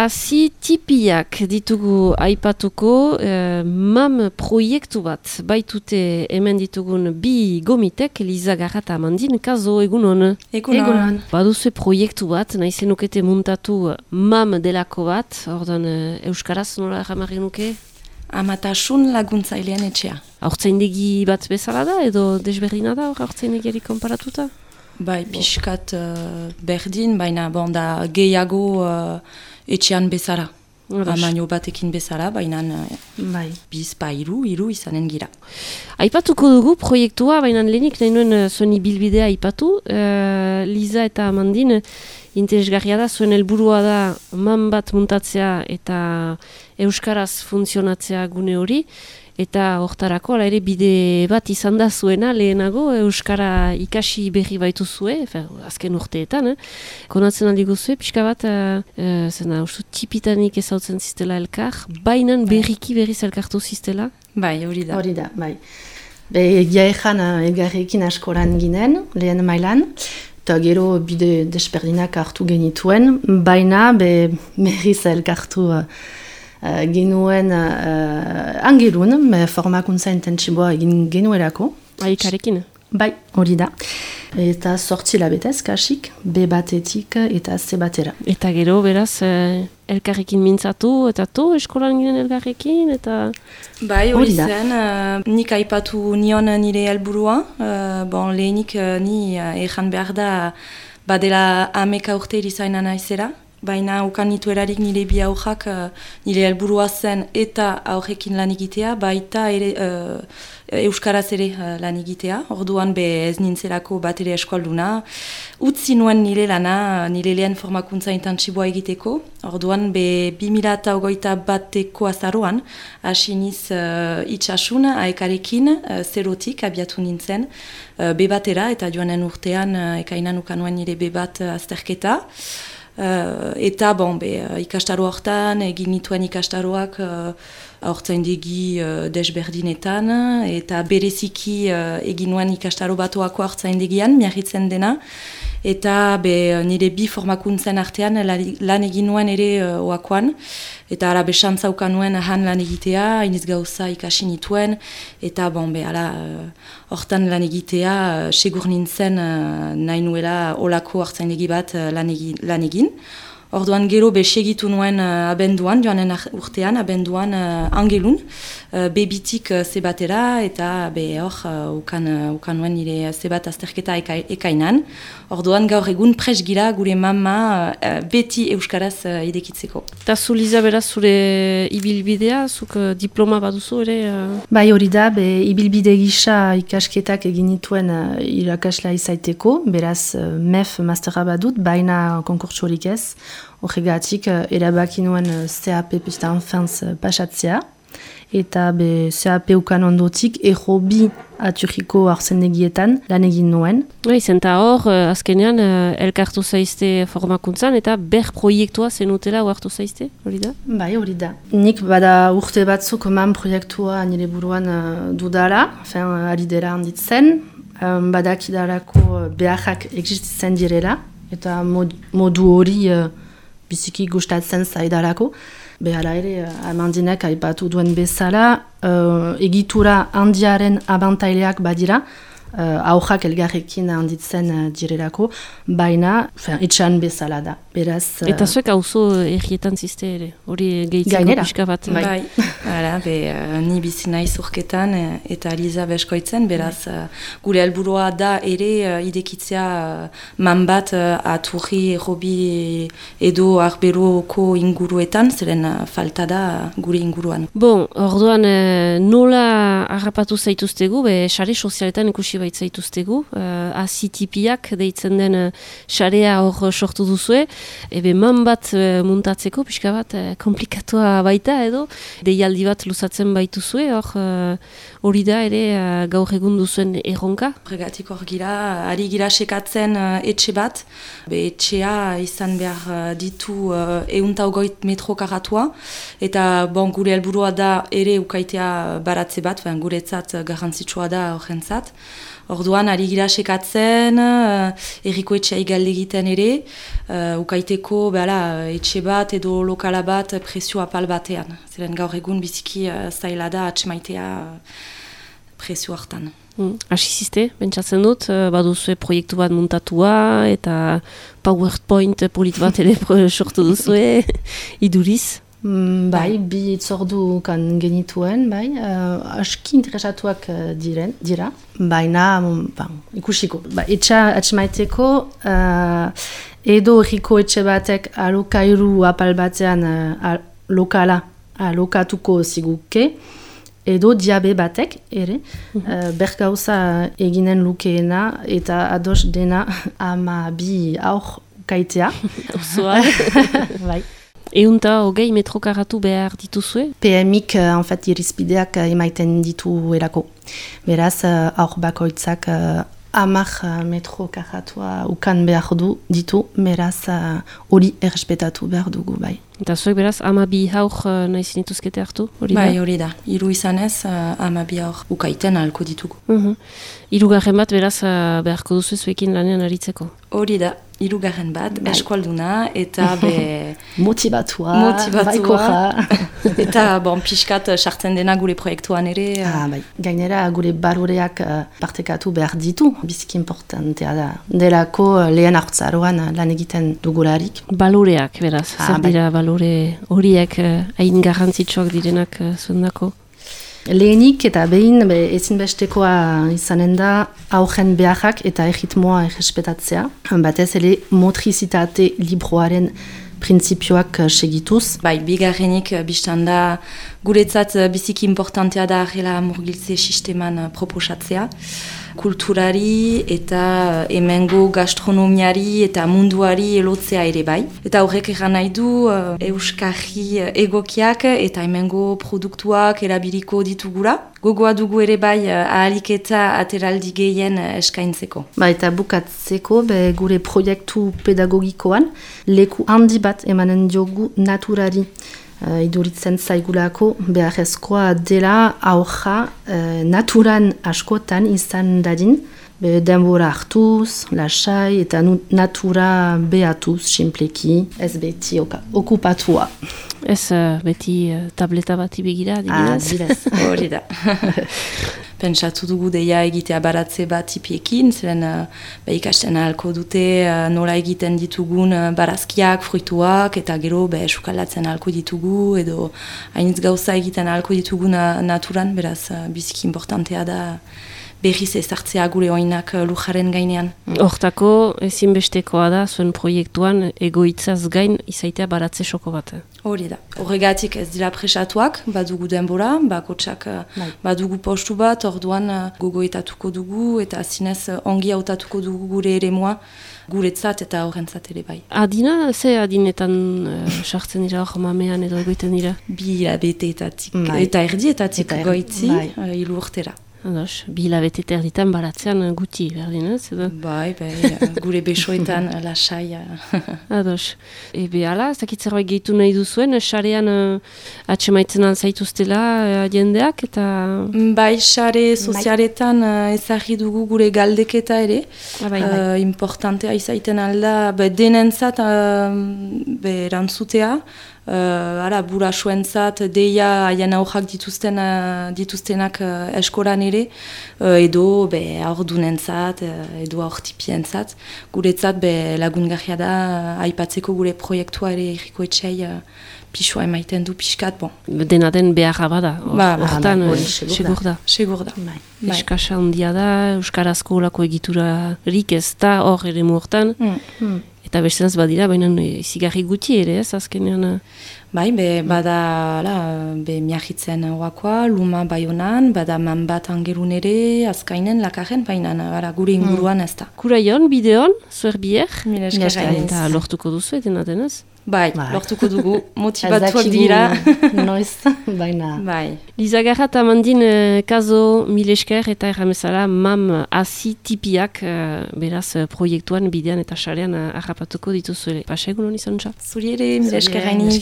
hasi tipiak ditugu aipatuko MAM proiektu bat. Baitute hemen ditugun bi gomitek, Liza Garra eta Amandine Kazo, egunon. Egunon. Baduzu proiektu bat, nahi zenukete muntatu MAM delako bat, ordan euskaraz nola jamarri nuke? Amatasun laguntzailean etxea. Haurtzaindegi bat bezala da edo desberdina da haurtzaindegiari konparatuta? Bai, pixkat berdin, baina da gehiago etxean bezala. Amaino batekin bezala, baina bizpa hiru izanen gira. Aipatuko dugu proiektua, baina lehenik nahi nuen zuen ibilbidea aipatu. Liza eta Amandine, interesgarria da, zuen helburua da MAM bat muntatzea eta euskaraz funtzionatzea gune hori. Eta hortarako, ala ere bide bat izan da zuena lehenago, euskara ikasi berri baitu zue, azken urteetan, konatzen aldi guzue, pixka bat, ustu tipitanik ezautzen ziztela elkar, bainan berriki berriz elkartu ziztela? Bai, hori da. Hori da, bai. Egia ezan elgarrekin askoran ginen, lehen mailan, eta gero bide desberdinak hartu genituen, baina berriz elkartu genuen angelun, formakuntza intentsiboa egin genuerako. Aikarekin? Bai, hori da. Eta 8 labetez, kasik, B batetik eta C batera. Eta gero, beraz, elkarrekin mintzatu, eta eskolan ginen elkarrekin, eta... Bai, hori zen, nik aipatu nion nire helburua, lehenik ni ejan behar da, badela 11 urte irizaina naizera, baina ukan nitu erarik nire bi aurrak nire helburua zen eta aurrekin lan egitea, baita ere euskaraz ere lan egitea. Orduan ez nintzelako bat ere eskolduna. Utzi nuen nire lana, nire lehen formakuntza intentsiboa egiteko. Orduan 2021 azaroan, hasi niz itxasun aekarekin, zerotik abiatu nintzen, B-batera eta joanen urtean ekainan ukan nuen nire B-bat azterketa. Eta ikastaro hortan, egin nituen ikastaroak haurtzaindegi desberdinetan, eta bereziki egin nuen ikastaro batuako haurtzaindegian, miarritzen dena, eta nire bi formakuntzen artean lan egin nuen ere oakoan, eta ara besantza ukan nuen han lan egitea, hainiz gauza ikasi nituen, eta hortan lan egitea segur nintzen nahi nuela olako hartzaindegi bat lan egin. Orduan gero segitu nuen abenduan, joanen urtean, abenduan angelun, bebitik zebatera, eta ukan nuen nire zebat azterketa ekainan. Orduan gaur egun presgira gure mama beti euskaraz idekitzeko. Eta zu, Liza, beraz, zure ibilbidea, zuk diploma baduzu ere? Bai, hori da, ibilbide gisa ikasketak egin nituen irakaslea izaiteko, beraz MEF mastera badut, baina konkurtsorik ez. Horregatik, erabaki nuen CAP pista enfantz pasatzea, eta CAP ukan ondotik errobi aturriko harzendegietan lan egin nuen. Zenta hor, azkenean, elkartu zaizte formakuntzan, eta ber proiektua zenutela hartu zaizte, hori da? Bai, hori da. Nik bada urte batzuk MAM proiektua nire buruan dudala, ari dela handitzen, badakidarako beharrak existitzen direla, eta modu hori biziki gustatzen zaidalako. Behala ere, Amandinek aipatu duen bezala, egitura handiaren abantaileak badira, aurrak elgarrekin handitzen direlako, baina etxan bezala da. Beraz, eta zuek hauzo errietan ziste ere, hori gehitzeko pixka bat. Bai. Ni bizi naiz urketan eta Liza beskoitzen, beraz gure helburua da ere idekitzea MAM bat aturri, errobi edo arberuko inguruetan, zeren falta da gure inguruan. Orduan nola harrapatu zaituztegu, sare sozialetan ikusi baitzaituztegu, azitipiak deitzen den sarea hor sortu duzue, MAM bat muntatzeko, pixka bat komplikatua baita edo, deialdi bat luzatzen baituzue, hori da ere gaur egun duzuen erronka? Horregatik hor gira, ari gira sekatzen etxe bat, etxea izan behar ditu 120 metro karatua, eta gure helburua da ere ukaitea baratze bat, guretzat garrantzitsua da horrentzat. Orduan, ari gira sekatzen, erriko etxea igalde egiten ere, ukaiteko etxe bat edo lokala bat prezio apal batean. Zeren gaur egun biziki zaila da atxemaitea prezio hartan. Asiziste, bentsatzen dut, baduzue proiektu bat muntatua eta PowerPoint polit bat ere sortu duzue, iduriz. Bai, bi itzordu kan genituen, bai, aski interesatuak dira, baina ikusiko. Etxa atxemaiteko, edo erriko etxe batek alokairu apal batean lokala alokatuko ziguke, edo diabe batek ere, bergauza eginen lukeena eta ados dena 12 aur kaitea. Osoa. Bai. Eunta hogei metro karatu behar dituzue? PMik, irizpideak emaiten ditu erako. Beraz, aur bakoitzak 10 metro karatua ukan behar ditu, beraz, hori errespetatu behar dugu, bai. Eta zuek beraz, 12 haur nahi zinituzkete hartu? Bai, hori da. Hiru izanez, 12 haur ukaiten ahalko ditugu. Hirugarren bat beraz beharko duzu zuekin lanean aritzeko? Hori da. Hirugarren bat, eskualduna, eta motibatua, baikoja. Eta pixkat sartzen dena gure proiektuan ere. Bai. Gainera gure baroreak partekatu behar ditu, biziki importantea da. Delako lehen hartzaroan lan egiten dugularik. Baloreak, beraz, zer dira balore horiek hain garrantzitsuak direnak zuendako? Lehenik eta behin ezinbestekoa izanen da aurren beharrak eta erritmoa errespetatzea. Batez ere motrizitate libroaren printzipioak segituz. Bai, bigarrenik biztan da guretzat biziki importantea da arrela murgiltze sisteman proposatzea. Kulturari eta hemengo gastronomiari eta munduari elotzea ere bai. Eta horrek egan nahi du euskarri egokiak eta hemengo produktuak erabiliko ditugula. Gogoa dugu ere bai ahalik eta ateraldi gehien eskaintzeko. Eta bukatzeko gure proiektu pedagogikoan leku handi bat emanen diogu naturari. Iduritzen zaigulako beharrezkoa dela aurra naturan askotan izan dadin, denbora hartuz, lasai eta natura behatuz, simpleki, ez beti okupatua. Ez beti tableta bati begira, adibidez. Hori da. Pentsatu dugu deia egitea baratze bat tipiekin, zeren ikasten ahalko dute nola egiten ditugun barazkiak, fruituak, eta gero sukalatzen ahalko ditugu, edo hainitz gauza egiten ahalko ditugu naturan, beraz biziki importantea da berriz ezartzea gure oinak lujaren gainean. Hortako ezinbestekoa da zuen proiektuan egoitzaz gain izaitea baratze soko bat. Hori da. Horregatik ez dira presatuak, badugu denbora, bakotsak badugu postu bat, orduan gogoetatuko dugu eta zinez ongi hautatuko dugu gure eremua, guretzat eta horrentzat ere bai. Adina, ze adinetan sartzen dira hor mamean edo egoiten dira? 2 hilabeteetatik eta erdietatik goitzi, 3 urtera. Ados, 2 hilabete erditan baratzean guti, berdin ez? Bai, gure besoetan lasai. Ados. Hala, ez dakit zerbait gehitu nahi duzuen, sarean atxemaitzen alzaituztela jendeak, eta... Bai, sare sozialetan ezagri dugu gure galdeketa ere. Importantea izaiten alda, denentzat erantzutea, burasuentzat deia haien aurrak dituztenak eskolan ere, edo aurdunentzat, edo aurtipientzat. Guretzat lagungarria da aipatzeko gure proiektua ere erriko etxei pixua emaiten du pixkat. Dena den beharra bada, hortan segur da. Segur da. Eskasa handia da, euskarazko olako egiturarik ez da hor ere hortan. Eta bestenaz badira, baina zigarri guti ere ez, azkenean. Bai, bada miahitzen oakoa, Luma Baionan, bada man bat angerun ere, azkainen, lakaren, baina gure inguruan ez da. Kuraion, bideon, zuer bier? Mila esker. Eta lortuko duzu, dena denez? Bai, lortuko dugu, motivatuak dira. Noiz, baina. Bai. Liza Garrat amandin kazo mil esker eta erramezala mam hasi tipiak beraz proiektuan bidean eta sarean harrapatuko dituzuele. Pasegun honi zontza? Zuri ere, mil esker hainiz.